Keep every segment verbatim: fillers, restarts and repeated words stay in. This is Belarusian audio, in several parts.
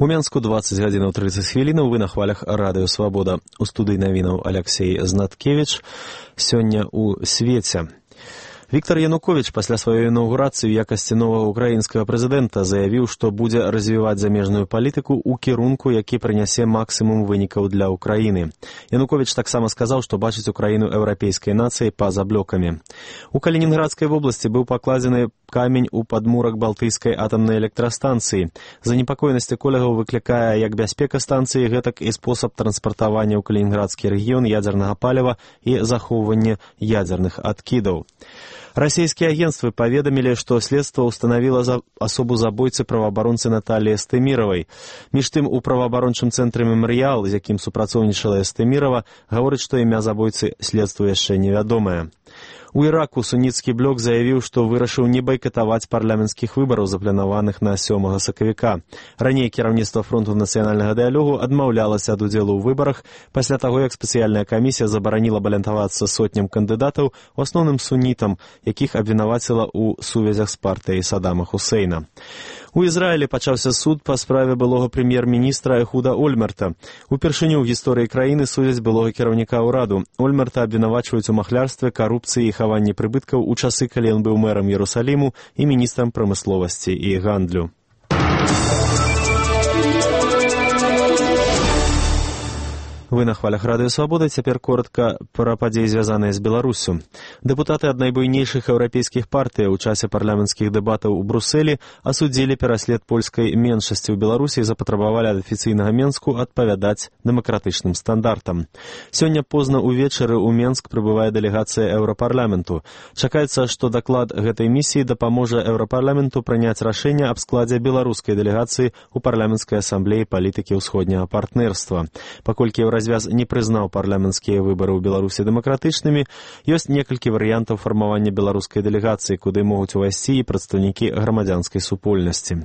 У Менску дваццаць гадзінаў трыццаць хвілінаў, вы на хвалях радыё «Свабода». У студыі навінаў Аляксей Знаткевіч. Сёння ў свеце. Віктор Янукович пасля сваёй інаўгурацыі ў якасці новага украінскага прэзідэнта заявіў, што будзе развіваць замежную палітыку ў кірунку, які прынясе максімум вынікаў для Украіны. Янукович таксама сказаў, што бачыць Украіну еўрапейскай нацыяй па-за блокамі. У Калінінградскай вобласці быў пакладзены камень у падмурак Балтыйскай атамнай электрастанцыі. Занепакоенасць эколагаў выклікае як бяспека станцыі, гэтак і спосаб транспартавання ў Калінінградскі рэгіён ядзернага паліва і захоўвання ядзерных адкідаў. Расійскія агенцтвы паведамілі, што следства ўстанавіла за асобу забойцы праваабаронцы Наталіі Эстэміравай. Між тым, у праваабарончым цэнтры «Мемарыял», з якім супрацоўнічала Эстэмірава, гаворыць, што імя забойцы следству яшчэ невядомае. У Іраку суніцкі блок заявіў, што вырашыў не байкатаваць парламенцкіх выбараў, запланаваных на сёмага сакавіка. Раней кіраўніцтва фронту нацыянальнага дыялогу адмаўлялася ад удзелу ў выбарах пасля таго, як спецыяльная камісія забараніла балятавацца сотням кандыдатаў, у асноўным сунітам, якіх абвінаваціла ў сувязях з партыяй Саддама Хусейна. У Ізраілі пачаўся суд па справе былога прэм'ер-міністра Эхуда Ольмерта. Упершыню ў гісторыі краіны судзяць былога кіраўніка ўраду. Ольмерта абвінавачваюць у махлярстве, карупцыі і хаванні прыбыткаў у часы, калі ён быў мэрам Ерусаліму і міністрам прамысловасці і гандлю. Вы на хвалях радыё «Свабода». Цяпер коротка пра падзеі, звязаныя з Беларусю. Дэпутаты ад найбуйнейшых еўрапейскіх партый у часе парламенцкіх дэбатаў у Брусэлі асудзілі пераслед польскай меншасці ў Беларусі і запатрабавалі ад афіцыйнага Менску адпавядаць дэмакратычным стандартам. Сёння позна ўвечары ў Менск прыбывае дэлегацыя Еўрапарламенту. Чакаецца, што даклад гэтай місіі дапаможа Еўрапарламенту прыняць рашэнне аб складзе беларускай дэлегацыі ў парламенцкай асамблеі палітыкі ўсходняга партнерства. Паколькі Еўразвяз не прызнаў парламенцкія выбары ў Беларусі дэмакратычнымі, ёсць некалькі варыянтаў фармавання беларускай дэлегацыі, куды могуць увайсці і прадстаўнікі грамадзянскай супольнасці.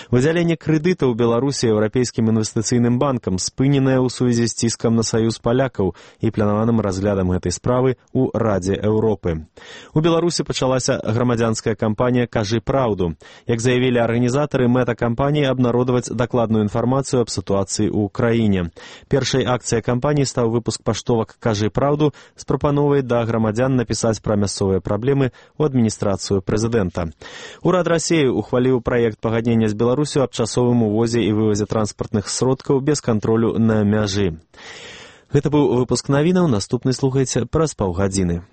Выдзяленне крэдыта ў Беларусі Еўрапейскім інвестыцыйным банкам спыненае ў сувязі з ціскам на саюз палякаў і планаваным разглядам гэтай справы ў Радзе Еўропы. У Беларусі пачалася грамадзянская кампанія «Кажы праўду». Як заявілі арганізатары, мэта кампаніі абнародаваць дакладную інфармацыю аб сітуацыі ў краіне. Першай акцыяй кампаніі стаў выпуск паштовак «Кажы праўду» з прапановай да грамадзян напісаць пра мясцовыя праблемы ў адміністрацыю прэзідэнта. Урад Расіі ухваліў праект пагаднення з Беларусю аб часовым увозе і вывазе транспартных сродкаў без кантролю на мяжы. Гэта быў выпуск навінаў, наступны слухайце праз паўгадзіны.